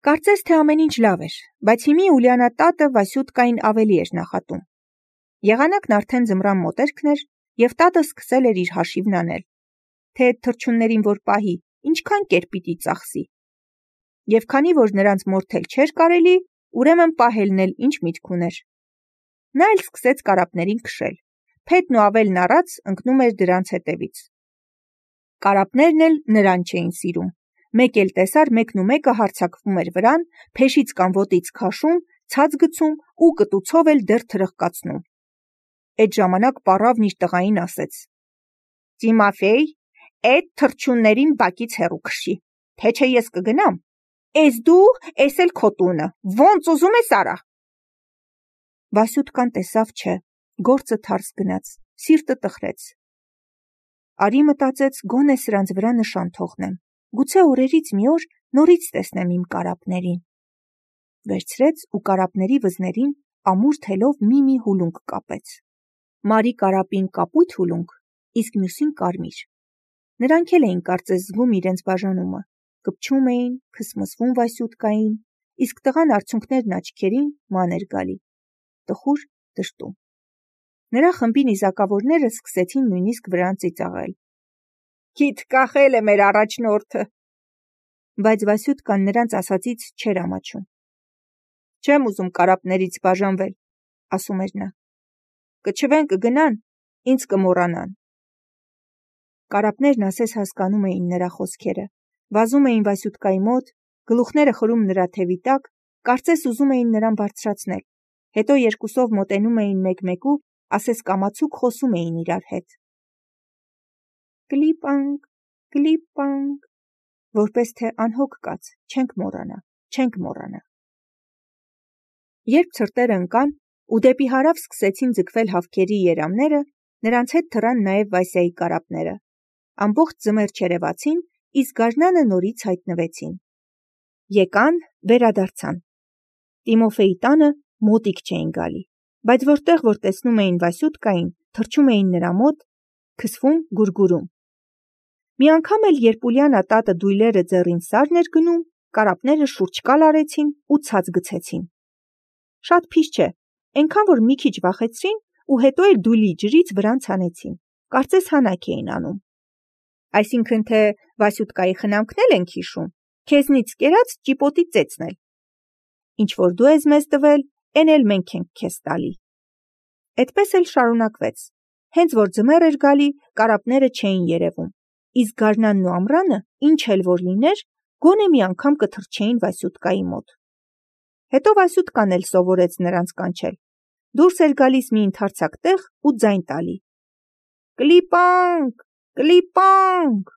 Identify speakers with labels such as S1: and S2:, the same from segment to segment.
S1: Կարծես թե ամեն ինչ լավ էր, բայց հիմի Ուլիանա տատը Վասյուտկային ավելի էր նախատում։ Եղանակն արդեն ձմռան մոտերքն էր, և տատը սկսել էր իր հաշիվն անել, թե այդ թռչուններին որ պահի, ինչքան կեր պիտի ծախսի։ Եվ քանի որ նրանց մորթել չէր կարելի, ուրեմն պահելն էլ ինչ միտք ուներ։ Նա էլ սկսեց կարապներին քշել, Փետն ու Ավելն առած ընկնում էր դրանց հետևից։ Կարապներն էլ նրան չէին սիրում։ Մեկ էլ տեսար մեկն ու մեկը հարձակվում էր վրան, փեշից կամ ոտից քաշում, ցած գցում ու կտուցով էլ դեռ թրխկացնում։ Այդ ժամանակ պառավն իր տղային ասեց. «Տիմոֆեյ, այդ թռչուններին բակից հեռու քշի, թե չէ ես կգնամ, էս դու, էս էլ քո տունը, ոնց ուզում ես արա»։ Վասյուտկան տեսավ չէ, գործը թարս գնաց, սիրտը տխրեց։ Արի մտածեց, գոնե սրանց վրա նշան թողնեմ, գուցե օրերից մի օր նորից տեսնեմ իմ կարապներին։ Վերցրեց ու կարապների վզներին ամուր թելով մի հուլունք կապեց։ Մարի կարապին կապույտ հուլունք, իսկ մյուսին կարմիր։ Նրանք էլ էին կարծես զգում իրենց բաժանումը, կպչում էին, քսմսվում Վասյուտկային, իսկ տղան արցունքներն աչքերին ման էր գալի, տխուր դժտում։ Նրա խմբի նիզակավորները սկսեցին նույնիսկ վրան ծիծաղել։ «Քիթ կախել է մեր առաջնորդը»։ Բայց Վասյուտկան նրանց ասածից չէր ամաչում։ «Չեմ ուզում կարապներից բաժանվել», ասում էր նա։ «Կչվեն, կգնան, ինձ կմոռանան»։ Կարապներն ասես հասկանում էին նրա խոսքերը, վազում էին Վասյուտկայի մոտ, գլուխները խրում նրա թևի տակ, կարծես ուզում էին նրան բարձրացնել, հետո երկուսով մոտենում էին մեկ-մեկու, ասես կամացուկ խոսում էին իրար հետ։ Կլիպանք, կլիպանք, որպես թե անհոգ կաց, չենք մոռանա։ Երբ ցրտերը ընկան ու դեպի հարավ սկսեցին ձգվել հավքերի երամները, նրանց հետ թռան նաև Վասյայի կարապները։ Ամբողջ ձմեռ չերևացին, իսկ գարնանը նորից հայտնվեցին։ Եկան, վերադարձան։ Տիմոֆեյի տանը մոտիկ չէին գալի, բայց որտեղ որ տեսնում էին Վասյուտկային, թռչում էին նրա մոտ, քսվում, գուրգուրում։ Մի անգամ էլ, երբ Ուլիանա տատը դույլերը ձեռին սարն էր գնում, կարապները շուրջկալ արեցին ու ցած գցեցին։ Շատ փիշ չէ, այնքան որ մի քիչ վախեցրին ու հետո էլ դույլի ջրից վրան ցանեցին, կարծես հանակ էին անում։ Այսինքն թե Վասյուտկայի խնամքն էլ ենք հիշում, քեզնից կերած ճիպոտի ծեծն էլ։ Ինչ որ դու ես մեզ տվել, էն էլ մենք ենք քեզ տալի։ Այդպես էլ շարունակվեց։ Հենց որ ձմեռ էր գալի, կարապները չէին երևում, իսկ գարնանն ու ամռանը, ինչ էլ որ լիներ, գոնե մի անգամ կթռչեին Վասյուտկայի մոտ։ Հետո Վասյուտկան էլ սովորեց նրանց կանչել։ Դուրս էր գալիս մի ընդարձակ տեղ ու ձայն տալի. «Կլիպանք, կլիպանք»։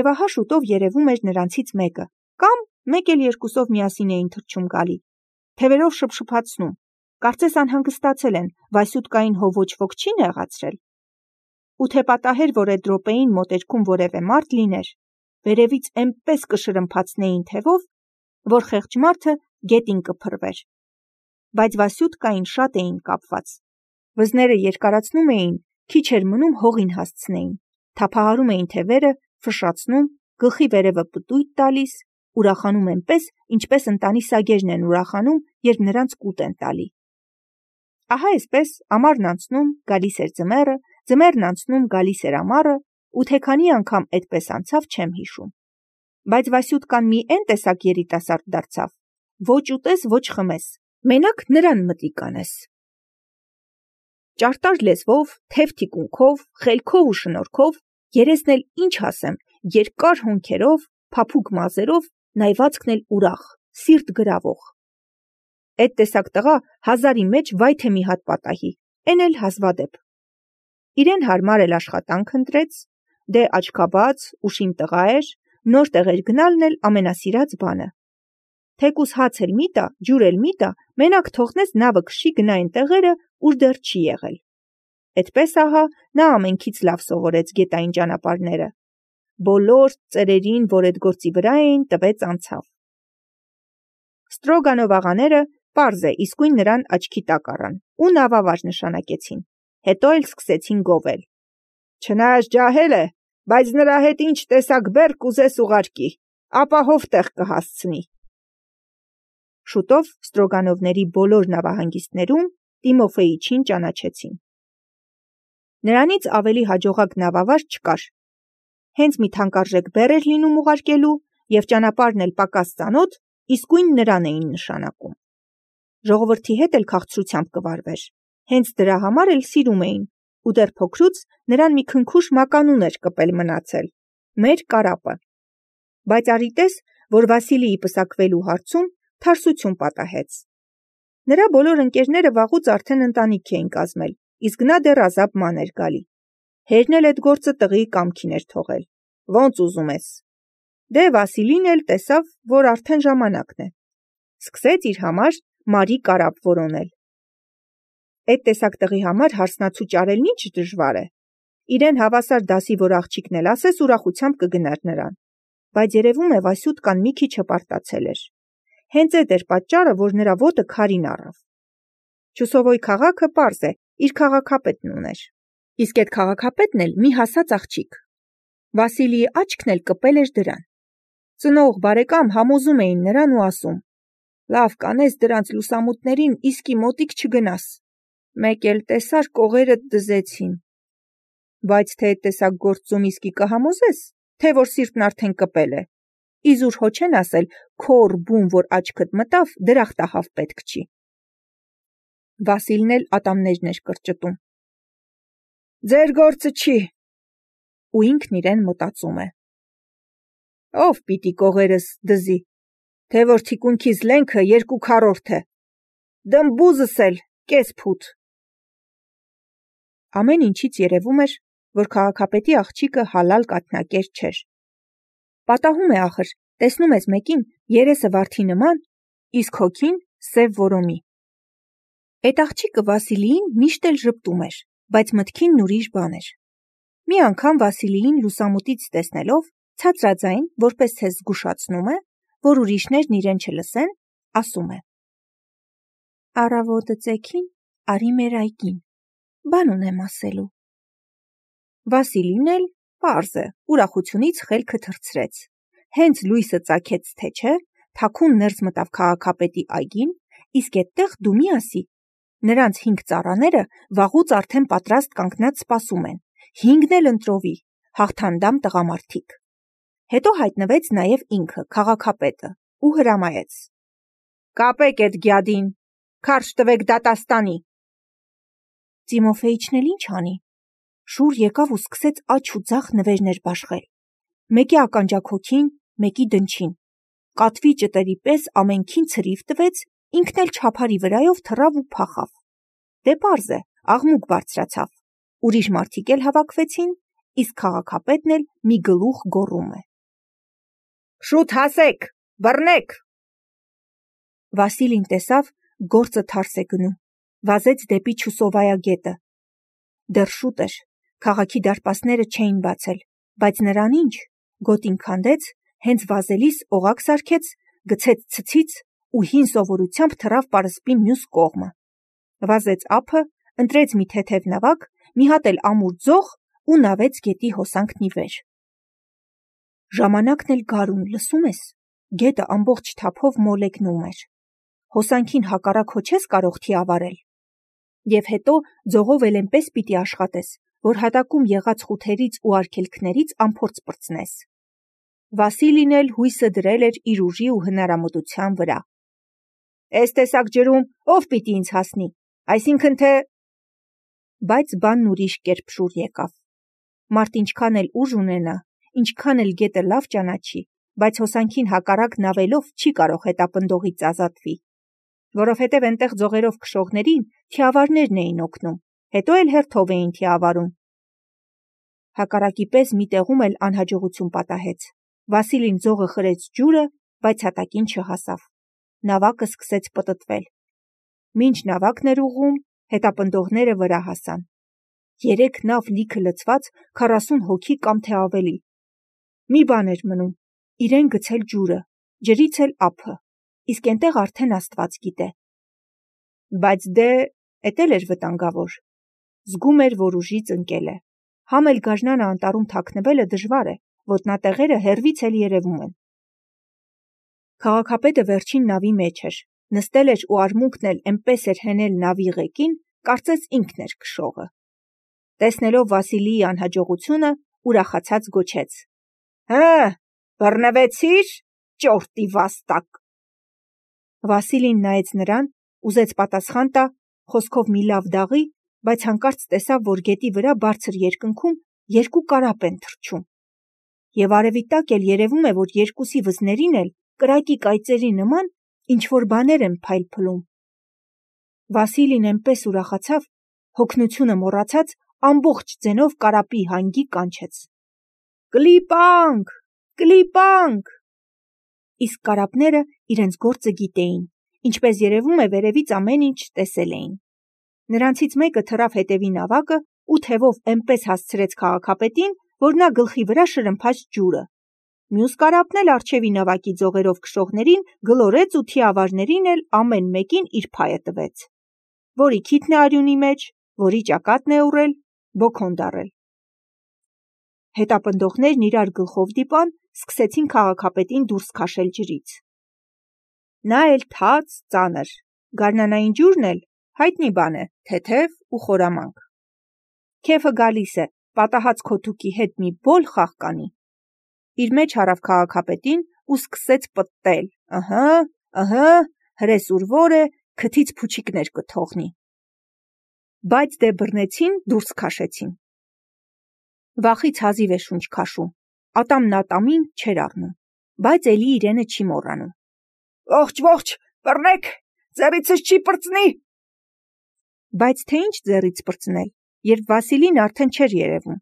S1: Եվ ահա շուտով երևում էր նրանցից մեկը, կամ մեկ էլ երկուսով միասին էին թռչում գալի, թևերով շփշփացնում, կարծես անհանգստացել են, Վասյուտկային հո ոչ ոք չի նեղացրել։ Ու թե պատահեր, որ այդ րոպեին մոտերքում որևէ մարդ լիներ, վերևից էնպես կշրմփացնեին թևով, որ խեղճ մարդը գետին կփռվեր։ Բայց Վասյուտկային շատ էին կապված։ Վզները երկարացնում էին, քիչ էր մնում հողին հասցնեին, թափահարում էին թևերը, ֆշշացնում, գլխի վերևը պտույտ տալիս, ուրախանում այնպես, ինչպես ընտանի սագերն են ուրախանում, երբ նրանց կուտ են տալի։ Ահա այսպես ամառն անցնում, գալիս էր ձմեռը, ձմեռն անցնում, գալիս էր ամառը, ու թե քանի անգամ այդպես անցավ, չեմ հիշում։ Բայց Վասյուտկան մի էն տեսակ երիտասարդ դարձավ, ոչ ուտես, ոչ խմես, մենակ նրան մտիկ անես։ Ճարտար լեզվով, թև թիկունքով, խելքով ու շնորհքով, երեսն էլ ինչ ասեմ, երկար հոնքերով, փափուկ մազերով, նայվածքն էլ ուրախ, սիրտ գրավող։ Այդ տեսակ տղա հազարի մեջ վայ թե մի հատ պատահի, էն էլ հազվադեպ։ Իրեն հարմար էլ աշխատանք ընտրեց, դե աչքաբաց, ուշիմ տղա էր, նոր տեղեր գնալն էլ ամենասիրած բանը։ Թեկուզ հաց էլ մի տա, ջուր էլ մի տա, մենակ թողնես նավը քշի գնա այն տեղերը, ուր դեռ չի եղել։ Այդպես ահա նա ամենքից լավ սովորեց գետային ճանապարհները։ Բոլոր ծերերին, որ այդ գործի վրա էին, տվեց անցավ։ Ստրոգանով աղաները պարզ է, իսկույն նրան աչքի տակ առան ու նավավար նշանակեցին, հետո էլ սկսեցին գովել։ Չնայած ջահել է, բայց նրա հետ ինչ տեսակ բեռ կուզես ուղարկի, ապահով տեղ կհասցնի, Շուտով Ստրոգանովների բոլոր նավահանգիստներում Տիմոֆեիչին ճանաչեցին։ Նրանից ավելի հաջողակ նավավար չկար։ Հենց մի թանկարժեք բեռ էր լինում ուղարկելու, և ճանապարհն էլ պակաս ծանոթ, իսկույն նրան էին նշանակում։ Ժողովրդի հետ էլ քաղցրությամբ կվարվեր, հենց դրա համար էլ սիրում էին, ու դեռ փոքրուց նրան մի քնքուշ մականուն էր կպել մնացել՝ մեր կարապը։ Բայց արի տես, որ Վասիլիի պսակվելու հարցում թարսություն պատահեց։ Նրա բոլոր ընկերները վաղուց արդեն ընտանիք էին կազմել, իսկ նա դեռ ազատ ման էր գալի։ Հերն էլ այդ գործը տղիի կամքին էր թողել։ Ոնց ուզում ես։ Դե Վասիլին էլ տեսավ, որ արդեն ժամանակն է։ Սկսեց իր համար Մարի կարապ որոնել։ Այդ տեսակ տղի համար հարսնացու ճարելն ինչ դժվար է։ Իրեն հավասար դասի որ աղջիկն էլ ասես ուրախությամբ կգնար նրան։ Բայց երևում է Վասյուտկան մի քիչ հպարտացել էր։ Հենց այդ էր պատճառը, որ նրա ոտը քարին առավ։ Չուսովոյ քաղաքը պարզ է, իր քաղաքապետն ուներ։ Իսկ այդ քաղաքապետն էլ մի հասած աղջիկ։ Վասիլիի աչքն էլ կպել էր դրան։ Ծնող բարեկամ համոզում էին նրան ու ասում. «Լավ կանես դրանց լուսամուտներին իսկի մոտիկ չգնաս։ Մեկ էլ տեսար կողերդ դզեցին»։ Բայց թե այդ տեսակ գործում իսկի կհամոզես, թե որ սիրտն արդեն կպել է։ Իզուր հո չեն ասել քոր բուն, որ աչքդ մտավ, դրախտահավ պետք չի։ Վասիլն էլ ատամներն էր կրճտում։ Ձեր գործը չի։ Ու ինքն իրեն մտածում է. Ով պիտի կողերս դզի, թե որ թիկունքիս լենքը 2/4 է, դմբուզս էլ կես փութ։ Ամեն ինչից երևում էր, որ քաղաքապետի աղջիկը հալալ կաթնակեր չէր։ Պատահում է ախր, տեսնում ես մեկին երեսը վարդի նման, իսկ հոգին սև որոմի։ Այդ աղջիկը Վասիլիին միշտ էլ ժպտում էր, բայց մտքին ուրիշ բան էր։ Մի անգամ Վասիլիին լուսամուտից տեսնելով, ցածրաձայն, որպես թե զգուշացնում է, որ ուրիշներն իրեն չլսեն, ասում է. Առավոտը ծեքին արի մեր այգին, բան ունեմ ասելու։ Վասիլին էլ, պարզ է, ուրախությունից խելքը թռցրեց։ Հենց լույսը ծագեց, թե չէ, թաքուն ներս մտավ քաղաքապետի այգին, իսկ այդտեղ դու մի ասի, նրանց 5 ծառաները վաղուց արդեն պատրաստ կանգնած սպասում են, 5-ն էլ ընտրովի, հաղթանդամ տղամարդիկ։ Հետո հայտնվեց նաև ինքը, քաղաքապետը, ու հրամայեց. Կապեք այդ գյադին, քարշ տվեք դատաստանի։ Տիմոֆեիչն էլ ինչ անի։ Շուր եկավ ու սկսեց աջ ու ձախ նվերներ բաշխել։ Մեկի ականջակոքին, մեկի դնչին։ Կատվի ճտերի պես ամենքին ցրիվ տվեց, ինքն էլ չափարի վրայով թռավ ու փախավ։ Դե պարզ է, աղմուկ բարձրացավ։ Ուրիշ մարդիկ էլ հավաքվեցին, իսկ քաղաքապետն էլ մի գլուխ գոռում է. Շուտ հասեք, բռնեք։ Վասիլին տեսավ, գործը թարս է գնում, վազեց դեպի Չուսովայա գետը։ Դեռ շուտ էր, քաղաքի դարպասները չէին բացել, բայց նրան ինչ, գոտին քանդեց, հենց վազելիս օղակ սարքեց, գցեց ցցից ու հին սովորությամբ թռավ պարսպի մյուս կողմը։ Վազեց ափը, ընտրեց մի թեթև նավակ, մի հատ էլ ամուր ձող ու նավեց գետի հոսանքն ի վեր։ Ժամանակն էլ գարուն, լսում ես, գետը ամբողջ թափով մոլեգնում էր։ Հոսանքին հակառակ հո չես կարող թիավարել։ Եվ հետո ձողով էլ այնպես պիտի աշխատես, որ հատակում եղած խութերից ու արգելքներից անփորձ պրծնես։ Վասիլին էլ հույսը դրել էր իր ուժի ու հնարամտության վրա։ Այս տեսակ ջրում ով պիտի ինձ հասնի, այսինքն թե… Բայց բանն ուրիշ կերպ շուր եկավ։ Մարդ ինչքան էլ ուժ ունենա, ինչքան էլ գետը լավ ճանաչի, բայց հոսանքին հակառակ նավելով չի կարող հետապնդողից ազատվի։ Որովհետև այնտեղ ձողերով քշողներին թիավարներն էին օգնում, հետո էլ հերթով էին թիավարում։ Հակառակի պես մի տեղում էլ անհաջողություն պատահեց։ Վասիլին ձողը խրեց ջուրը, բայց հատակին չհասավ։ Նավակը սկսեց պտտվել։ Մինչ նավակն էր ուղղում, հետապնդողները վրա հասան։ 3 նավ լիքը լցված 40 հոգի կամ թե ավելի։ Մի բան էր մնում, իրեն գցել ջուրը, ջրից էլ ափը, իսկ այնտեղ արդեն Աստված գիտե։ Բայց դե, էդ էլ էր վտանգավոր։ Զգում էր, որ ուժից ընկել է։ Համ էլ գարնանը անտառում թաքնվելը դժվար է, ոտնատեղերը հեռվից էլ երևում են։ Քաղաքապետը վերջին նավի մեջ էր, Նստել էր ու արմունկն էլ էնպես էր հենել նավի ղեկին, կարծես ինքն էր քշողը։ Տեսնելով Վասիլիի անհաջողությունը, ուրախացած գոչեց. բռնվեցի՞ր, ճորտի վաստակ։ Վասիլին նայեց նրան, ուզեց պատասխան տա, խոսքով մի լավ դաղի, բայց հանկարծ տեսավ, որ գետի վրա բարձր երկնքում երկու կարապ են թռչում։ Եվ արևի տակ էլ երևում է, որ երկուսի վզներին էլ կրակի կայծերի նման ինչ-որ բաներ են փայլփլում։ Վասիլին էնպես ուրախացավ, հոգնությունը մոռացած, ամբողջ ձենով կարապի հանգի կանչեց. «Կլիպանք, կլիպանք»։ Իսկ կարապները իրենց գործը գիտեին, ինչպես երևում է վերևից ամեն ինչ տեսել էին։ Նրանցից մեկը թռավ հետևի նավակը ու թևով էնպես հասցրեց քաղաքապետին, որ նա գլխի վրա շրմփաց ջուրը։ Մյուս կարապն էլ առջևի նավակի ձողերով քշողներին գլորեց ու թիավարներին էլ ամեն մեկին իր փայը տվեց։ Որի քիթն է արյունի մեջ, որի ճակատն է ուռել, բոքոն դառել։ Հետապնդողներն իրար գլխով դիպան, սկսեցին քաղաքապետին դուրս քաշել ջրից։ Նա էլ թաց, ծանր, գարնանային ջուրն էլ հայտնի բան է, թեթև ու խորամանկ։ Քեֆը գալիս է, պատահած քո թուքի հետ մի բոլ խաղ կանի։ Իր մեջ հարավ քաղաքապետին ու սկսեց պտտել. հրես ուրվոր է, քթից փուչիկներ կթողնի։ Բայց դե բռնեցին, դուրս քաշեցին։ Վախից հազիվ է շունչ քաշում, ատամն ատամին չէր առնում, բայց էլի իրենը չի մոռանում։ Ողջ, բռնեք, ձեռիցս չի պրծնի։ Բայց թե ինչ ձեռից պրծնել, երբ Վասիլին արդեն չէր երևում։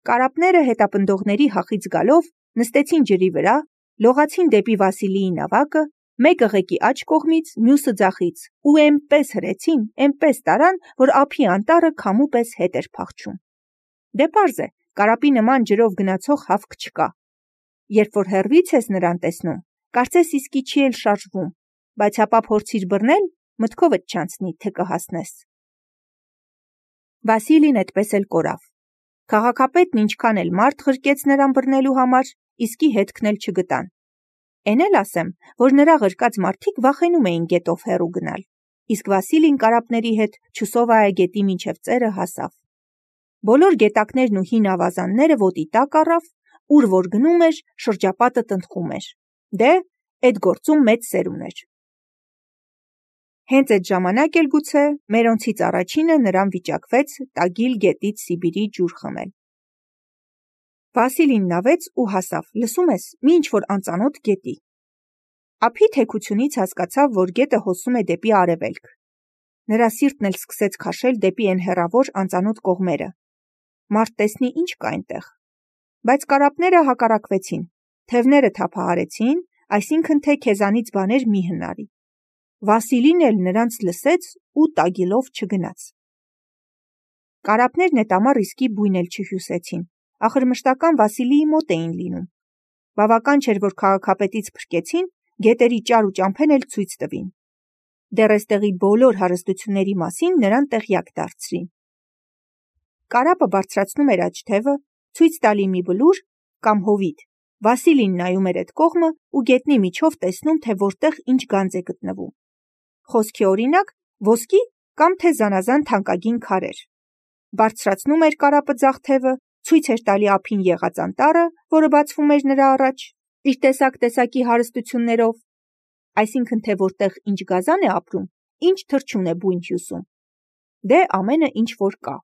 S1: Կարապները հետապնդողների հախից գալով նստեցին ջրի վրա, լողացին դեպի Վասիլիի նավակը, մեկը ղեկի աջ կողմից, մյուսը ձախից, ու էնպես հրեցին, էնպես տարան, որ ափի անտառը քամու պես հետ էր փախչում։ Դե պարզ է, կարապի նման ջրով գնացող հավք չկա։ Երբ որ հեռվից ես նրան տեսնում, կարծես իսկի չի էլ շարժվում, բայց հապա փորձիր բռնել, մտքովդ չանցնի, թե կհասնես։ Վասիլին այդպես էլ կորավ։ Քաղաքապետն ինչքան էլ մարդ ղրկեց նրան բռնելու համար, իսկի հետքն էլ չգտան։ Էն էլ ասեմ, որ նրա ղրկած մարդիկ վախենում էին գետով հեռու գնալ, իսկ Վասիլին կարապների հետ Չուսովայա գետի մինչև ծերը հասավ։ Բոլոր գետակներն ու հին ավազանները ոտի տակ առավ, ուր որ գնում էր, շրջապատը տնտղում էր։ Դե, էդ գործում մեծ սեր ուներ։ Հենց այդ ժամանակ էլ գուցե մերոնցից առաջինը նրան վիճակվեց Տագիլ գետից Սիբիրի ջուր խմել։ Վասիլին նավեց ու հասավ, լսում ես, մի ինչ-որ անծանոթ գետի։ Ափի թեքությունից հասկացավ, որ գետը հոսում է դեպի արևելք։ Նրա սիրտն էլ սկսեց քաշել դեպի այն հեռավոր անծանոթ կողմերը։ Մարդ տեսնի ինչ կա այնտեղ։ Բայց կարապները հակառակվեցին, թևները թափահարեցին, այսինքն թե քեզանից բաներ մի հնարի։ Վասիլին էլ նրանց լսեց ու Տագիլով չգնաց։ Կարապներն էդ ամառ իսկի բույն էլ չհյուսեցին, ախր մշտական Վասիլիի մոտ էին լինում։ Բավական չէր, որ քաղաքապետից փրկեցին, գետերի ճար ու ճամփեն էլ ցույց տվին։ Դեռ էստեղի բոլոր հարստությունների մասին նրան տեղյակ դարձրին։ Կարապը բարձրացնում էր աջ թևը, ցույց տալի մի բլուր կամ հովիտ։ Վասիլին նայում էր այդ կողմը ու գետնի միջով տեսնում, թե որտեղ ինչ գանձ է գտնվում։ Խոսքի օրինակ, ոսկի կամ թե զանազան թանկագին քարեր։ Բարձրացնում էր կարապը ձախ թևը, ցույց էր տալի ափին եղած անտառը, որը բացվում էր նրա առաջ, իր տեսակ-տեսակի հարստություններով, այսինքն թե որտեղ ինչ գազան է ապրում, ինչ թռչուն է բույն հյուսում։ Դե ամենը ինչ որ կա։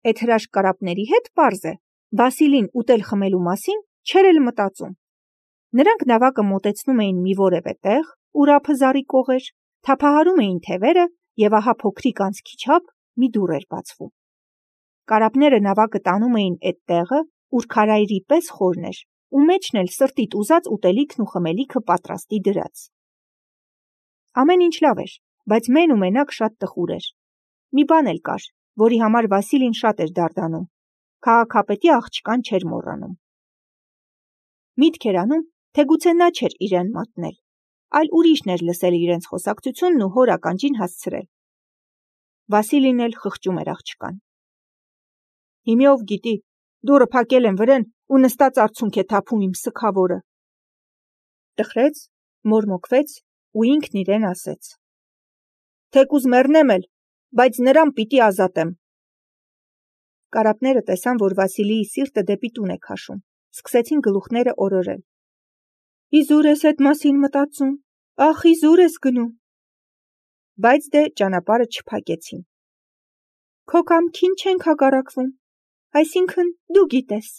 S1: Այդ հրաշք կարապների հետ պարզ է, Վասիլին ուտել խմելու մասին չէր էլ մտածում։ Նրանք նավակը մոտեցնում էին մի որևէ տեղ, ուր ափը զառիկող էր, թափահարում էին թևերը և ահա փոքրիկ անցքի չափ մի դուռ էր բացվում։ Կարապները նավակը տանում էին այդ տեղը, ուր քարայրի պես խորն էր, ու մեջն էլ սրտիդ ուզած ուտելիքն ու խմելիքը պատրաստի դրած։ Ամեն ինչ լավ էր, բայց մեն ու մենակ շատ տխուր էր։ Մի բան էլ կար, որի համար Վասիլին շատ էր դարդանում։ Քաղաքապետի աղջկան չէր մոռանում։ Միտք էր անում, թե գուցե նա չէր իրեն մատնել, այլ ուրիշն էր լսել իրենց խոսակցությունն ու հոր ականջին հասցրել։ Վասիլին էլ խղճում էր աղջկան։ Հիմի ով գիտի, դուռը փակել են վրեն ու նստած արցունք է թափում իմ սգավորը։ Տխրեց, մորմոքվեց ու ինքն իրեն ասեց. «Թեկուզ մեռնեմ էլ, բայց նրան պիտի ազատեմ»։ Կարապները տեսան, որ Վասիլիի սիրտը դեպի տուն է քաշում, սկսեցին գլուխները օրորել։ «Իզուր ես էդ մասին մտածում, ախ, իզուր ես գնում»։ Բայց դե ճանապարհը չփակեցին։ «Քո կամքին չենք հակառակվում, այսինքն դու գիտես»։